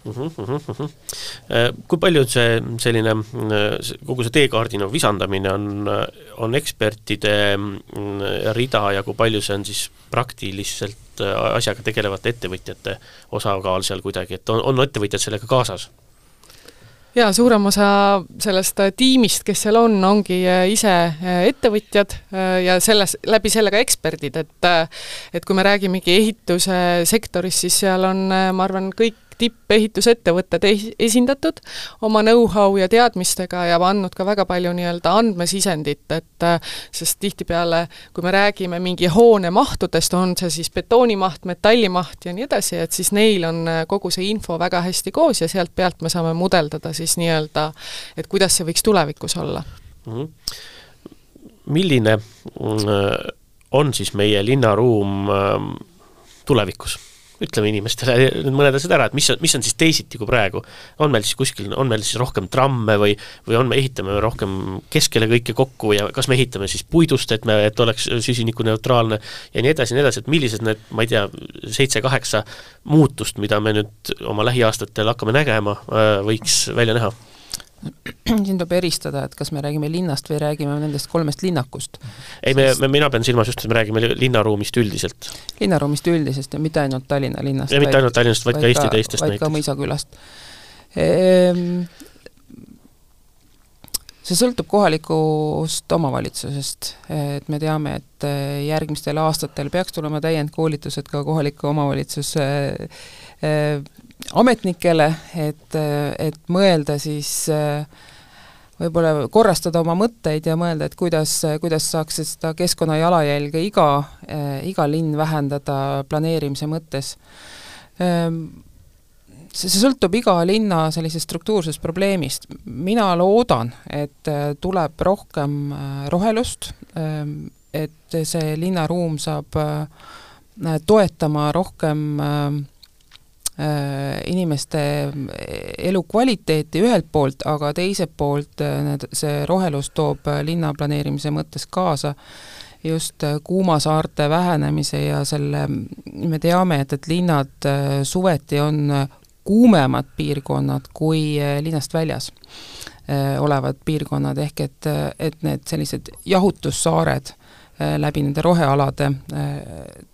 Uh-huh, uh-huh, uh-huh. Kui palju see selline, kogu see teekaardina visandamine on, on ekspertide rida ja kui palju see on siis praktiliselt asjaga tegelevate ettevõtjate osakaal seal kuidagi, et on, on ettevõtjad sellega kaasas? Jaa, suurem osa sellest tiimist, kes seal on, ongi ise ettevõtjad ja selles, läbi sellega eksperdid, et, et kui me räägimegi ehituse sektoris, siis seal on, ma arvan, kõik tippeehitusettevõtted esindatud oma know-how ja teadmistega ja andnud ka väga palju nii-öelda andmesisendit, et sest tihtipeale, kui me räägime mingi hoone mahtudest, on see siis betoonimaht, metallimaht ja nii edasi, et siis neil on kogu see info väga hästi koos ja sealt pealt me saame mudeldada siis nii-öelda, et kuidas see võiks tulevikus olla. Milline on siis meie linnaruum tulevikus? Ütleme inimestele nüüd mõned asjad ära, et mis on, mis on siis teisiti kui praegu. On meil siis kuskil, on meil siis rohkem tramme või, või on me ehitame rohkem keskele kõike kokku ja kas me ehitame siis puidust, et, me, et oleks süsinikuneutraalne ja nii edasi, nii edasi, et millised need, ma ei tea, seitse-kaheksa muutust, mida me nüüd oma lähiaastatel hakkame nägema, võiks välja näha? Siin tuleb eristada, et kas me räägime linnast või räägime nendest kolmest linnakust. Ei, me, me, mina pean silmas just, et me räägime linnaruumist üldiselt. Linnaruumist üldisest ja mitte ainult Tallinna linnast. Ja mitte ainult Tallinnast, vaid, vaid ka Eesti teistest vaid näiteks. Vaid ka Mõisakülast. Ehm, see sõltub kohalikust omavalitsusest. Et me teame, et järgmistel aastatel peaks tulema täiendkoolitused ka kohaliku omavalitsuse ametnikele, et, et mõelda siis võib-olla korrastada oma mõtteid ja mõelda, et kuidas, kuidas saaks seda keskkonna jalajälge iga, iga linn vähendada planeerimise mõttes. See, see sõltub iga linna sellisest struktuursest probleemist. Mina loodan, et tuleb rohkem rohelust, et see linnaruum saab toetama rohkem inimeste elukvaliteeti ühelt poolt, aga teiselt poolt see rohelus toob linnaplaneerimise mõttes kaasa just kuumasaarte vähenemise ja selle, me teame, et, et linnad suveti on kuumemad piirkonnad kui linnast väljas olevad piirkonnad, ehk et, et need sellised jahutussaared läbi nende rohealade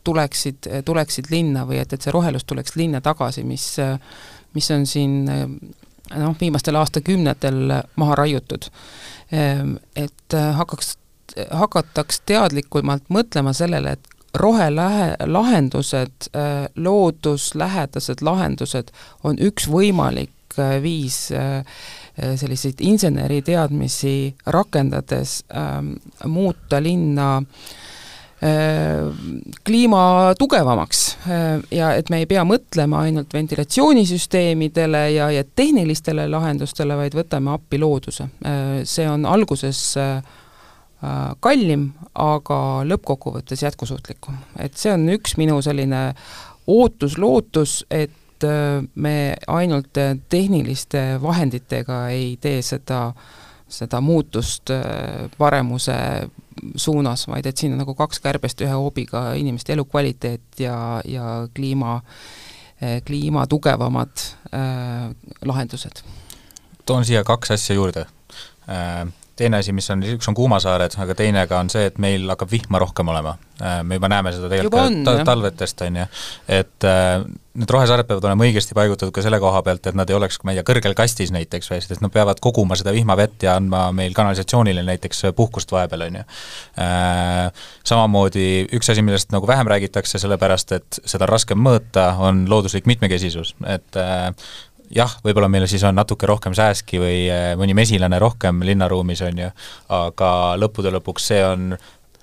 tuleksid, tuleksid linna või et, et see rohelus tuleks linna tagasi, mis, mis on siin no, viimastel aastakümnetel maha raiutud. Et hakkaks, hakataks teadlikumalt mõtlema sellele, et rohelahendused, looduslähedased lahendused on üks võimalik viis selliseid inseneriteadmisi rakendades ähm, muuta linna äh, kliima tugevamaks äh, ja et me ei pea mõtlema ainult ventilatsioonisüsteemidele ja, ja tehnilistele lahendustele, vaid võtame appi looduse. Äh, see on alguses äh, kallim, aga lõppkokkuvõttes jätkusuutlikum. Et see on üks minu selline ootus-lootus, et me ainult tehniliste vahenditega ei tee seda, seda muutust paremuse suunas, vaid et siin on nagu kaks kärbest ühe hoobiga inimeste elukvaliteet ja, ja kliima, kliima tugevamad äh, lahendused. Toon siia kaks asja juurde. Äh, teine asi, mis on, üks on kuumasaared, aga teine ka on see, et meil hakkab vihma rohkem olema. Me juba näeme seda tegelikult on, ta, talvetest, on ju. Et äh, need rohesaared peavad olema õigesti paigutatud ka selle koha pealt, et nad ei oleks, ma ei tea, kõrgel kastis näiteks, sest nad peavad koguma seda vihmavett ja andma meil kanalisatsioonile näiteks puhkust vahepeal, on ju. Äh, samamoodi üks asi, millest nagu vähem räägitakse, sellepärast, et seda on raskem mõõta, on looduslik mitmekesisus. Et äh, jah, võib-olla meil siis on natuke rohkem sääski või mõni mesilane rohkem linnaruumis, on ju, aga lõppude lõpuks see on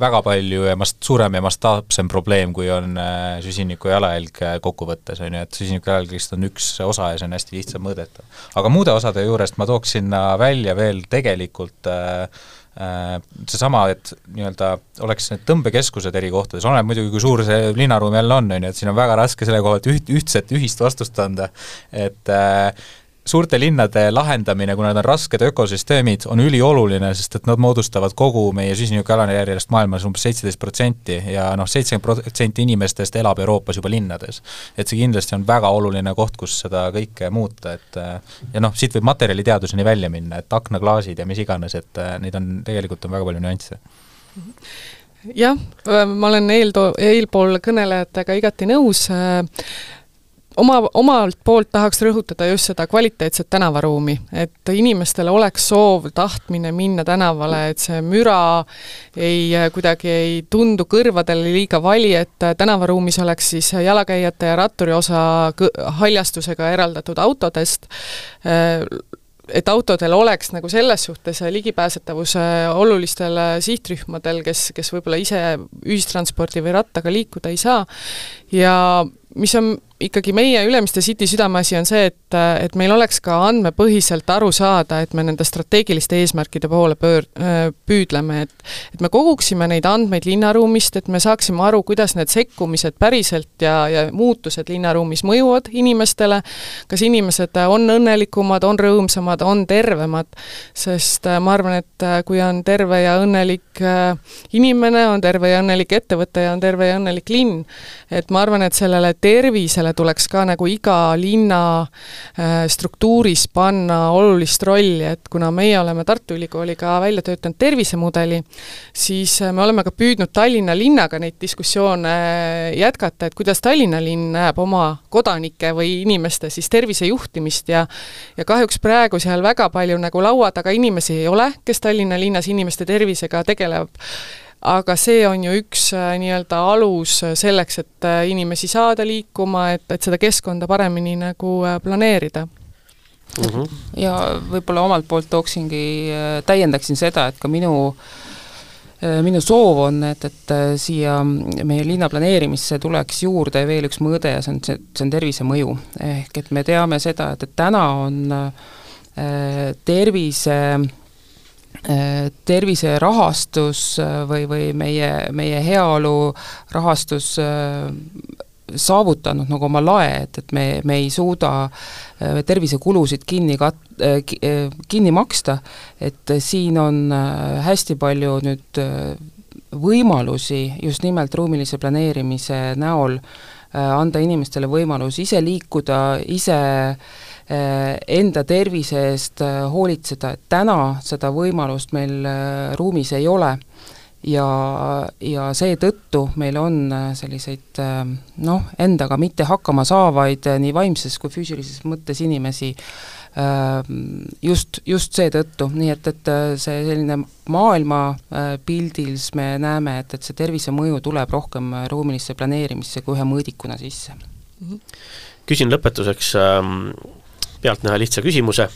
väga palju ja mast, suurem ja mastaapsem probleem, kui on äh, süsiniku jalajälg kokkuvõttes, on ju, et süsiniku jalajälgist on üks osa ja see on hästi lihtsam mõõdeta. Aga muude osade juurest ma tooks sinna välja veel tegelikult äh, äh, seesama, et nii-öelda oleks need tõmbekeskused eri kohtades, oleneb muidugi, kui suur see linnaruum jälle on, on ju, et siin on väga raske selle koha, et üht, ühtset ühist vastust anda, et äh, suurte linnade lahendamine, kuna nad on rasked ökosüsteemid, on ülioluline, sest et nad moodustavad kogu meie süsinikujalajärjest maailmas umbes seitseteist protsenti ja noh, seitsekümmend protsenti inimestest elab Euroopas juba linnades. Et see kindlasti on väga oluline koht, kus seda kõike muuta, et ja noh, siit võib materjaliteaduseni välja minna, et aknaklaasid ja mis iganes, et neid on, tegelikult on väga palju nüansse. Jah, ma olen eelto- eelpool kõnelejatega igati nõus. Oma, omalt poolt tahaks rõhutada just seda kvaliteetset tänavaruumi, et inimestele oleks soov tahtmine minna tänavale, et see müra ei, kuidagi ei tundu kõrvadele liiga vali, et tänavaruumis oleks siis jalakäijate ja ratturi osa haljastusega eraldatud autodest, et autodel oleks nagu selles suhtes ligipääsetavus olulistele sihtrühmadel, kes, kes võib-olla ise ühistranspordi või rattaga liikuda ei saa ja mis on ikkagi meie Ülemiste City südameasi on see, et, et meil oleks ka andmepõhiselt aru saada, et me nende strateegiliste eesmärkide poole pöör, püüdleme, et, et me koguksime neid andmeid linnaruumist, et me saaksime aru, kuidas need sekkumised päriselt ja, ja muutused linnaruumis mõjuvad inimestele, kas inimesed on õnnelikumad, on rõõmsamad, on tervemad, sest ma arvan, et kui on terve ja õnnelik inimene, on terve ja õnnelik ettevõte ja on terve ja õnnelik linn, et ma arvan, et sellele tervisele tuleks ka nagu iga linna struktuuris panna olulist rolli, et kuna meie oleme Tartu Ülikooliga välja töötanud tervisemudeli, siis me oleme ka püüdnud Tallinna linnaga neid diskussioone jätkata, et kuidas Tallinna linn näeb oma kodanike või inimeste siis tervisejuhtimist ja, ja kahjuks praegu seal väga palju nagu laua taga inimesi ei ole, kes Tallinna linnas inimeste tervisega tegeleb. Aga see on ju üks nii-öelda alus selleks, et inimesi saada liikuma, et, et seda keskkonda paremini nagu planeerida. Uh-huh. Ja võib-olla omalt poolt tooksingi, täiendaksin seda, et ka minu, minu soov on, et, et siia meie linna planeerimisse tuleks juurde veel üks mõõde ja see on, see, see on tervisemõju. Ehk et me teame seda, et, et täna on tervise tervise rahastus või, või meie, meie heaolu rahastus saavutanud nagu oma lae, et, et me, me ei suuda tervisekulusid kinni, kat-, kinni maksta, et siin on hästi palju nüüd võimalusi just nimelt ruumilise planeerimise näol anda inimestele võimalus ise liikuda, ise enda tervise eest hoolitseda, et täna seda võimalust meil ruumis ei ole ja, ja seetõttu meil on selliseid noh, endaga mitte hakkama saavaid nii vaimses kui füüsilises mõttes inimesi just, just seetõttu, nii et, et see selline maailma pildils me näeme, et, et see tervisemõju tuleb rohkem ruumilisse planeerimisse kui ühe mõõdikuna sisse. Küsin lõpetuseks pealtnäha lihtsa küsimuse,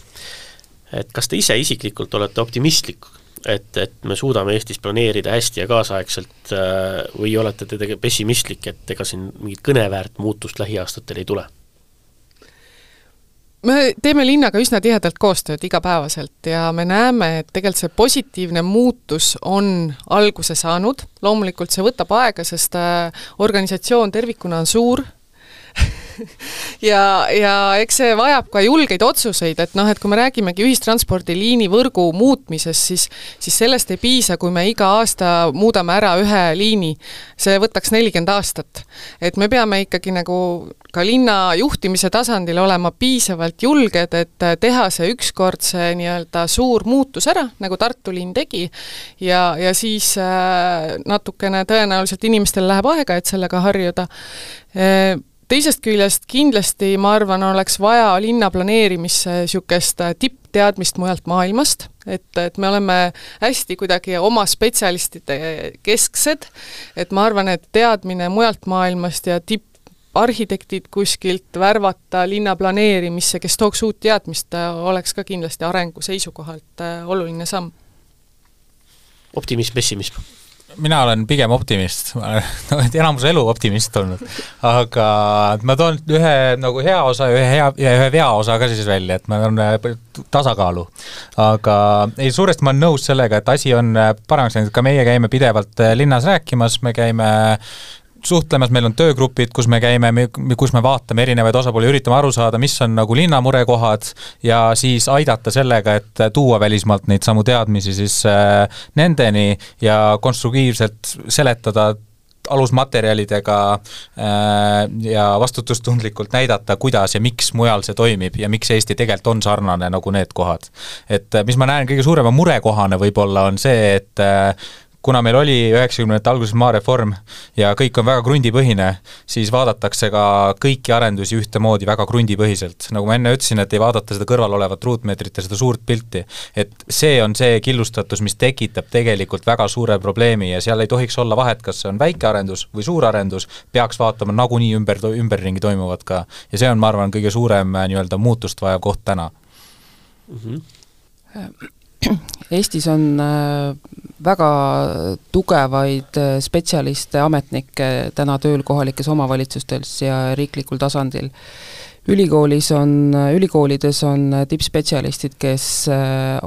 et kas te ise isiklikult olete optimistlik, et, et me suudame Eestis planeerida hästi ja kaasaegselt või olete te tege- pessimistlik, et ega siin mingit kõneväärt muutust lähiaastatel ei tule? Me teeme linnaga üsna tihedalt koostööd igapäevaselt ja me näeme, et tegelikult see positiivne muutus on alguse saanud. Loomulikult see võtab aega, sest organisatsioon tervikuna on suur ja, ja eks see vajab ka julgeid otsuseid, et noh, et kui me räägimegi ühistranspordiliini võrgu muutmisest, siis, siis sellest ei piisa, kui me iga aasta muudame ära ühe liini. See võtaks nelikümmend aastat. Et me peame ikkagi nagu ka linna juhtimise tasandil olema piisavalt julged, et teha see ükskord see nii-öelda suur muutus ära, nagu Tartu linn tegi, ja, ja siis natukene tõenäoliselt inimestel läheb aega, et sellega harjuda. Teisest küljest kindlasti, ma arvan, oleks vaja linna planeerimisse sükest tippteadmist mujalt maailmast, et, et me oleme hästi kuidagi oma spetsialistide kesksed, et ma arvan, et teadmine mujalt maailmast ja tipp arhitektid kuskilt värvata linna planeerimisse, kes tooks uut teadmist, oleks ka kindlasti arengu seisukohalt oluline samm. Optimism, pessimism? Mina olen pigem optimist, ma olen enamus elu optimist olnud, aga ma toon ühe nagu hea osa ja ühe, hea, ja ühe vea osa ka siis välja, et ma olen tasakaalu. Aga ei, suuresti ma olen nõus sellega, et asi on paremaks läinud, ka meie käime pidevalt linnas rääkimas, me käime suhtlemas, meil on töögrupid, kus me käime, kus me vaatame erinevaid osapooli, üritame aru saada, mis on nagu linna murekohad ja siis aidata sellega, et tuua välismaalt neid samu teadmisi siis nendeni ja konstruktiivselt seletada alusmaterjalidega ja vastutustundlikult näidata, kuidas ja miks mujal see toimib ja miks Eesti tegelikult on sarnane nagu need kohad. Et mis ma näen kõige suurema murekohane võib-olla on see, et kuna meil oli üheksakümnendate alguses maareform ja kõik on väga krundipõhine, siis vaadatakse ka kõiki arendusi ühtemoodi väga krundipõhiselt. Nagu ma enne ütlesin, et ei vaadata seda kõrval olevat ruutmeetrit ja seda suurt pilti. Et see on see killustatus, mis tekitab tegelikult väga suure probleemi ja seal ei tohiks olla vahet, kas see on väike arendus või suur arendus, peaks vaatama nagunii ümber, ümberringi toimuvad ka. Ja see on, ma arvan, kõige suurem nii-öelda muutust vaja koht täna. Mm-hmm. Eestis on väga tugevaid spetsialiste, ametnikke täna tööl kohalikes omavalitsustes ja riiklikul tasandil. Ülikoolis on, ülikoolides on tippspetsialistid, kes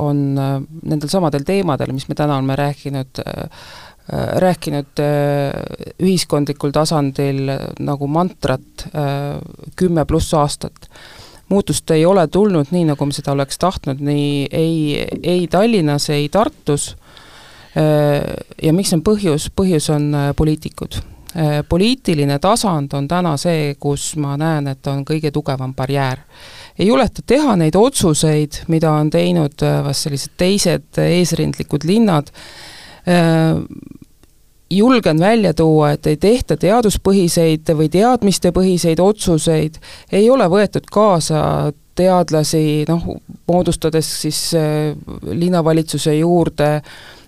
on nendel samadel teemadel, mis me täna oleme rääkinud, rääkinud ühiskondlikul tasandil nagu mantrat kümme pluss aastat. Muutust ei ole tulnud nii, nagu me seda oleks tahtnud, nii ei, ei Tallinnas, ei Tartus. Ja miks on põhjus? Põhjus on poliitikud. Poliitiline tasand on täna see, kus ma näen, et on kõige tugevam barjäär. Ei juleta teha neid otsuseid, mida on teinud vast sellised teised eesrindlikud linnad. Julgen välja tuua, et ei tehta teaduspõhiseid või teadmistepõhiseid otsuseid, ei ole võetud kaasa teadlasi, noh, moodustades siis linnavalitsuse juurde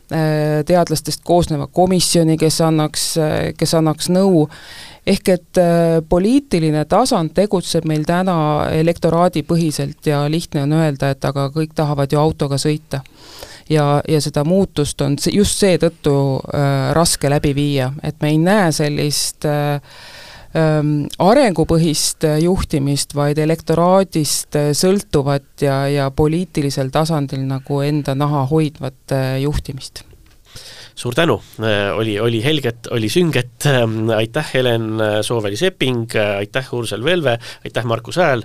teadlastest koosneva komisjoni, kes annaks, kes annaks nõu. Ehk et poliitiline tasand tegutseb meil täna elektoraadi põhiselt ja lihtne on öelda, et aga kõik tahavad ju autoga sõita. Ja, ja seda muutust on just see tõttu äh, raske läbi viia, et me ei näe sellist äh, äh, arengupõhist juhtimist, vaid elektoraadist sõltuvat ja, ja poliitilisel tasandil nagu enda naha hoidvat äh, juhtimist. Suur tänu, oli, oli helget, oli sünget, aitäh Helen Sooveli-Sepping, aitäh Ursel Velve, aitäh Markus Hääl,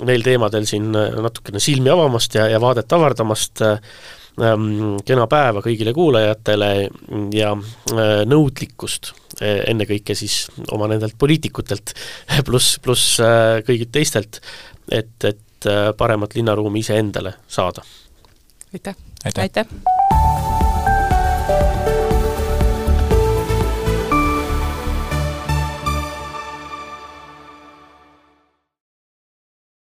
neil teemadel siin natukene silmi avamast ja, ja vaadet avardamast, kena päeva kõigile kuulajatele ja nõudlikkust ennekõike siis oma nendelt poliitikutelt pluss, pluss kõigilt teistelt, et, et paremat linnaruumi ise endale saada. Aitäh! Aitäh! Aitäh.